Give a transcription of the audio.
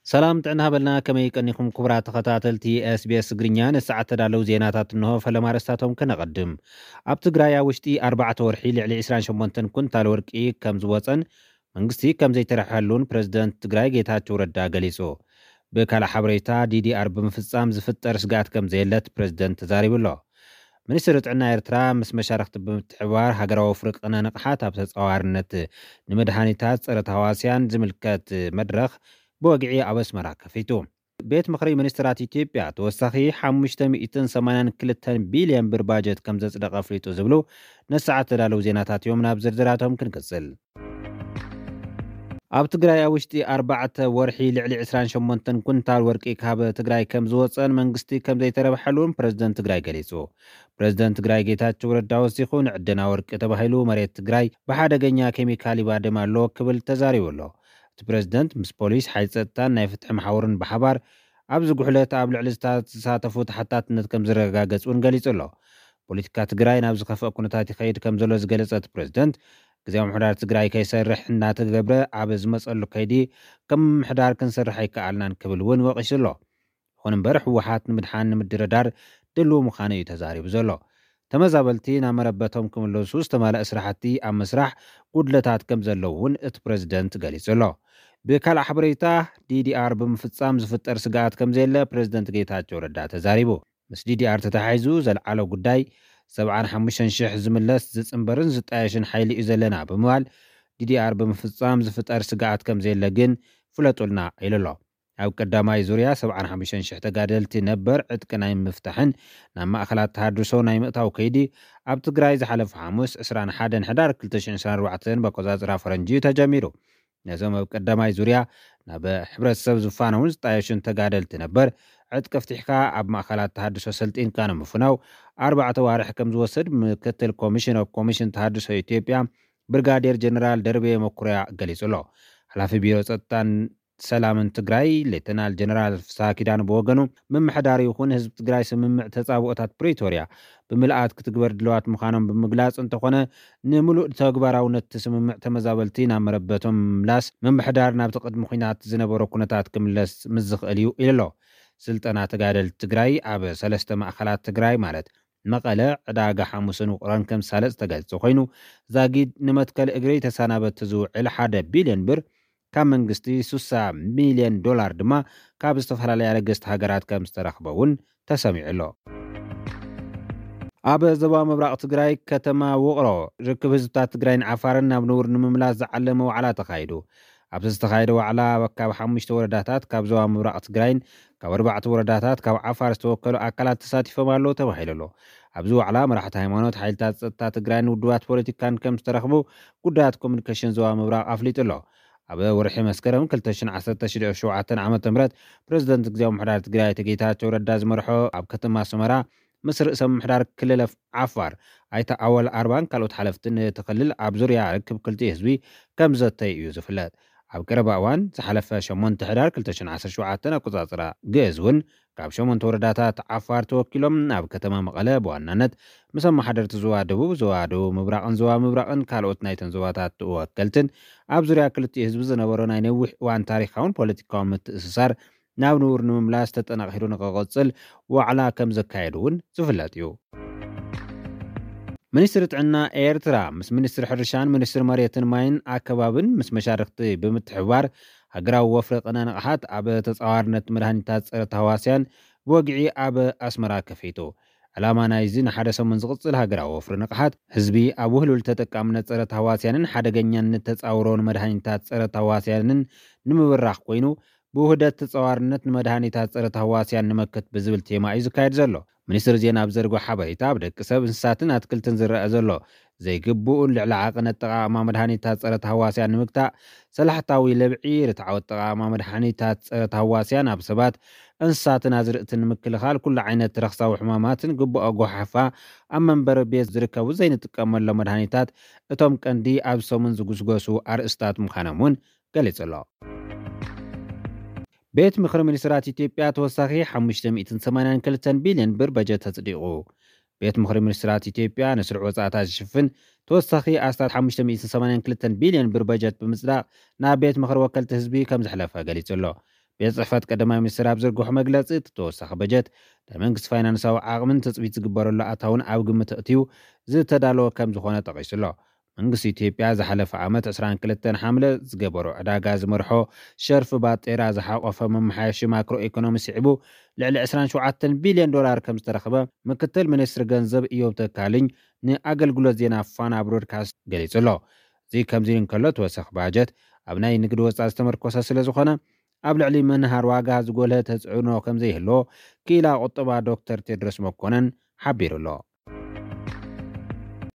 ሰላም ጥዕና ሃበልና፣ ከመይ ቀኒኹም ክቡራት ተኸታተልቲ SBS ትግርኛ? ንሰዓት ተዳለዉ ዜናታት እንሆ። ፈለማ ኣርእስታቶም ከነቐድም። ኣብ ትግራይ ኣብ ውሽጢ ኣርባዕተ ወርሒ ልዕሊ ዕስራን ሸሞንተን ኩንታል ወርቂ ከም ዝወፀን መንግስቲ ከም ዘይተረፈሉን ፕረዚደንት ትግራይ ጌታቸው ረዳ ገሊጹ። ብካልእ ሓበሬታ፣ DDR ብምፍጻም ዝፍጠር ስግኣት ከም ዘየለት ፕረዚደንት ተዛሪቡ ኣሎ። ሚኒስትሪ ጥዕና ኤርትራ ምስ መሻርኽቲ ብምትሕብባር ሃገራዊ ወፍሪ ቅነ ንቕሓት ኣብ ተጻዋርነት ንመድሃኒታት ጸረ ተሃዋስያን ዝምልከት መድረኽ ብወግዒ ኣብ ኣስመራ ከፊቱ። ቤት ምኽሪ ሚኒስትራት ኢትዮጵያ ተወሳኺ ሓሙሽተ ሚእትን ሰማንያን ክልተን ቢልዮን ብር ባጀት ከም ዘጽደቐ ኣፍሊጡ ዝብሉ ነሰዓት ተዳለዉ ዜናታት እዮም። ናብ ዝርዝራቶም ክንቅጽል። ኣብ ትግራይ ኣብ ውሽጢ ኣርባዕተ ወርሒ ልዕሊ ዕስራን ሸሞንተን ኩንታል ወርቂ ካብ ትግራይ ከም ዝወፀን መንግስቲ ከም ዘይተረብሐሉን ፕረዚደንት ትግራይ ገሊጹ። ፕረዚደንት ትግራይ ጌታቸው ረዳ ወሲኹ፣ ንዕደና ወርቂ ተባሂሉ መሬት ትግራይ ብሓደገኛ ኬሚካል ይባደም ኣሎ ክብል ተዛሪቡ ኣሎ። እቲ ፕረዚደንት ምስ ፖሊስ፣ ሓይሊ ጸጥታን ናይ ፍትሒ መሓውርን ብሓባር ኣብዚ ጉሕለት ኣብ ልዕሊ ዝታ-፣ ዝተሳተፉ ተሓታትነት ከም ዝረጋገጽ እውን ገሊጹ ኣሎ። ፖለቲካ ትግራይ ናብ ዝኸፍአ ኩነታት ይኸይድ ከም ዘሎ ዝገለጸ እቲ ፕረዚደንት፣ ግዝያዊ ምምሕዳር ትግራይ ከይሰርሕ እናተገብረ ኣብ ዝመጸሉ ከይዲ ከም ምምሕዳር ክንሰርሕ ኣይከኣልናን ክብል እውን ወቒሱ ኣሎ። ይኹን እምበር፣ ህወሓት ንምድሓን ንምድርዳር ድልው ምዃኑ እዩ ተዛሪቡ ዘሎ። ተመዛበልቲ ናብ መረበቶም ክምለሱ ዝተማልአ ስራሕቲ ኣብ ምስራሕ ጉድለታት ከም ዘለዉ እውን እቲ ፕረዚደንት ገሊጹ ኣሎ። ብካልእ ሓበሬታ፣ DDR ብምፍጻም ዝፍጠር ስግኣት ከም ዘየለ ፕረዚደንት ጌታቸው ረዳ ተዛሪቡ። ምስ DDR ተተሓሒዙ ዘልዓሎ ጉዳይ፣ ሰብዓን ሓሙሽተን ሽሕ ዝምለስ ዝጽንበርን ዝጣየሽን ሓይሊ እዩ ዘለና ብምባል፣ DDR ብምፍጻም ዝፍጠር ስግኣት ከም ዘየለ ግን ፍለጡልና ኢሉ ኣሎ። ኣብ ቀዳማይ ዙርያ ሰብዓን ሓሙሽተን ሽሕ ተጋደልቲ ነበር ዕጥቂ ናይ ምፍታሕን ናብ ማእኸላት ተሃድሶ ናይ ምእታው ከይዲ ኣብ ትግራይ ዝሓለፈ ሓሙስ ዕስራን ሓደን ሕዳር ክልተ ሽሕን ዕስራን ኣርባዕተን በቆጻጽራ ፈረንጂ እዩ ተጀሚሩ። ነዞም ኣብ ቀዳማይ ዙርያ ናብ ሕብረተሰብ ዝፋነውን ዝጣየሹን ተጋደልቲ ነበር ዕጥቂ ፍቲሕካ ኣብ ማእኸላት ተሃድሶ ሰልጢንካ ንምፍናው ኣርባዕተ ዋርሕ ከም ዝወስድ ምክትል ኮሚሽን ኦፍ ኮሚሽን ተሃድሶ ኢትዮጵያ ብርጋዴር ጀነራል ደርቤ መኩርያ ገሊጹ ኣሎ። ሓላፊ ቢሮ ጸጥታን ሰላምን ትግራይ ሌተናል ጀነራል ፍስሃ ኪዳነ ብወገኑ፣ ምምሕዳር ይኹን ህዝቢ ትግራይ ስምምዕ ተጻብኦታት ፕሪቶርያ ብምልኣት ክትግበር ድለዋት ምዃኖም ብምግላጽ፣ እንተኾነ ንምሉእ ተግባራውነት እቲ ስምምዕ ተመዛበልቲ ናብ መረበቶም ምምላስ፣ ምምሕዳር ናብቲ ቅድሚ ኲናት ዝነበሮ ኩነታት ክምለስ ምስ ዝኽእል እዩ ኢሉ ኣሎ። ስልጠና ተጋደልቲ ትግራይ ኣብ ሰለስተ ማእኸላት ትግራይ ማለት መቐለ፣ ዕዳጋ ሓሙስን ውቕሮን ከም ዝሳለጥ ዝተገልጸ ኮይኑ፣ ዛጊድ ንመትከል እግሪ ተሰናበቲ ዝውዕል ሓደ ቢልዮን ብር ካብ መንግስቲ፣ ስሳ ሚልዮን ዶላር ድማ ካብ ዝተፈላለያ ለገስቲ ሃገራት ከም ዝተረኽበ እውን ተሰሚዑ ኣሎ። ኣብ ዞባ ምብራቕ ትግራይ ከተማ ውቕሮ ርክብ ህዝብታት ትግራይን ዓፋርን ናብ ንቡር ንምምላስ ዝዓለመ ዋዕላ ተኻይዱ። ኣብዚ ዝተኻየደ ዋዕላ ካብ ሓሙሽተ ወረዳታት ካብ ዞባ ምብራቕ ትግራይን ካብ ኣርባዕተ ወረዳታት ካብ ዓፋር ዝተወከሉ ኣካላት ተሳቲፎም ኣለዉ ተባሂሉ ኣሎ። ኣብዚ ዋዕላ መራሕቲ ሃይማኖት፣ ሓይልታት ጸጥታ ትግራይን ውድባት ፖለቲካን ከም ዝተረኽቡ ጉዳያት ኮሚኒኬሽን ዞባ ምብራቕ ኣፍሊጡ ኣሎ። ኣብ ወርሒ መስከረም ክልተ ሽሕን ዓሰርተ ሸውዓተን ዓመተ ምህረት ፕረዚደንት ግዝያዊ ምምሕዳር ትግራይ ኣቶ ጌታቸው ረዳ ዝመርሖ ኣብ ከተማ ኣስመራ ምስ ርእሰ ምምሕዳር ክልል ዓፋር ኣይተ ኣወል ኣርባን ካልኦት ሓለፍትን እቲ ክልል ኣብ ዙርያ ርክብ ክልቲኡ ህዝቢ ከም ዘተዩ እዩ ዝፍለጥ። ኣብ ቀረባ እዋን ዝሓለፈ ሸሞንተ ሕዳር ክልተ ሽሕን ዓሰርተ ሸውዓተን ኣቆጻጽራ ግእዝ እውን ካብ ሸሞንተ ወረዳታት ዓፋር ተወኪሎም ኣብ ከተማ መቐለ ብዋናነት ምስ ኣመሓደርቲ ዞባ ደቡብ፣ ዞባ ደቡብ ምብራቕን ዞባ ምብራቕን ካልኦት ናይተን ዞባታት ተወከልትን ኣብ ዙርያ ክልቲኡ ህዝቢ ዝነበሮ ናይ ነዊሕ እዋን ታሪኻውን ፖለቲካውን ምትእስሳር ናብ ንቡር ንምምላስ ተጠናኺሩ ንክቕጽል ዋዕላ ከም ዘካየዱ እውን ዝፍለጥ እዩ። ሚኒስትሪ ጥዕና ኤርትራ ምስ ሚኒስትሪ ሕርሻን ሚኒስትሪ መሬትን ማይን ኣከባብን ምስ መሻርኽቲ ብምትሕብባር ሃገራዊ ወፍሪ ቅነ ንቕሓት ኣብ ተጻዋርነት መድሃኒታት ጸረ ተህዋስያን ብወግዒ ኣብ ኣስመራ ከፊቱ። ዕላማ ናይዚ ንሓደ ሰሙን ዝቕጽል ሃገራዊ ወፍሪ ንቕሓት ህዝቢ ኣብ ውህሉል ተጠቃምነት ጸረ ተህዋስያንን ሓደገኛነት ተጻውሮን መድሃኒታት ጸረ ተህዋስያንን ንምብራኽ ኮይኑ፣ ብውህደት ተጻዋርነት ንመድሃኒታት ጸረ ተህዋስያን ንመክት ብዝብል ቴማ እዩ ዝካየድ ዘሎ። ሚኒስትሪ ዜና ኣብ ዘርግሖ ሓበሬታ፣ ኣብ ደቂ ሰብ፣ እንስሳትን ኣትክልትን ዝረአ ዘሎ ዘይግቡእን ልዕሊ ዓቕን ኣጠቓቕማ መድሃኒታት ጸረ ተህዋስያን ንምግታእ፣ ሰላሕታዊ ለብዒ፣ ርትዓዊ ኣጠቓቕማ መድሃኒታት ጸረ ተህዋስያን ኣብ ሰባት፣ እንስሳትን ኣዝርእትን ንምክልኻል፣ ኩሉ ዓይነት ረኽሳዊ ሕማማትን ግቡእ ኣጓሓፋ ኣብ መንበሪ ቤት ዝርከቡ ዘይንጥቀመሎም መድሃኒታት እቶም ቀንዲ ኣብ ሰሙን ዝጉስጎሱ ኣርእስታት ምዃኖም እውን ገሊጹ ኣሎ። ቤት ምኽሪ ሚኒስትራት ኢትዮጵያ ተወሳኺ ሓሙሽተ ሚእትን ሰማንያን ክልተን ቢልዮን ብር በጀት ኣጽዲቑ። ቤት ምኽሪ ሚኒስትራት ኢትዮጵያ ንስሩዕ ወጻእታት ዝሽፍን ተወሳኺ ኣስታት ሓሙሽተ ሚእትን ሰማንያን ክልተን ቢልዮን ብር በጀት ብምጽዳቕ ናብ ቤት ምኽሪ ወከልቲ ህዝቢ ከም ዘሕለፈ ገሊጹ ኣሎ። ቤት ጽሕፈት ቀዳማይ ሚኒስትር ኣብ ዘርግሖ መግለጺ፣ እቲ ተወሳኺ በጀት ናይ መንግስቲ ፋይናንሳዊ ዓቕምን ትጽቢት ዝግበረሉ ኣታውን ኣብ ግምት ኣእትዩ ዝተዳለወ ከም ዝኾነ ጠቒሱ ኣሎ። መንግስቲ ኢትዮጵያ ዝሓለፈ ዓመት ዕስራን ክልተን ሓምለ ዝገበሮ ዕዳጋ ዝመርሖ ሸርፊ ባጤራ ዝሓቆፈ መመሓየሺ ማክሮ ኢኮኖሚ ስዒቡ ልዕሊ ዕስራን ሸውዓተን ቢልዮን ዶላር ከም ዝተረኽበ ምክትል ሚኒስትሪ ገንዘብ ኢዮብ ተካልኝ ንኣገልግሎት ዜና ፋና ብሮድካስት ገሊጹ ኣሎ። እዚ ከምዚ እንከሎ፣ ተወሳኺ ባጀት ኣብ ናይ ንግዲ ወጻኢ ዝተመርኮሰ ስለ ዝኾነ፣ ኣብ ልዕሊ ምንሃር ዋጋ ዝጎልሀ ተጽዕኖ ከም ዘይህልዎ ክኢላ ቁጠባ ዶክተር ቴድሮስ መኮነን ሓቢሩ ኣሎ።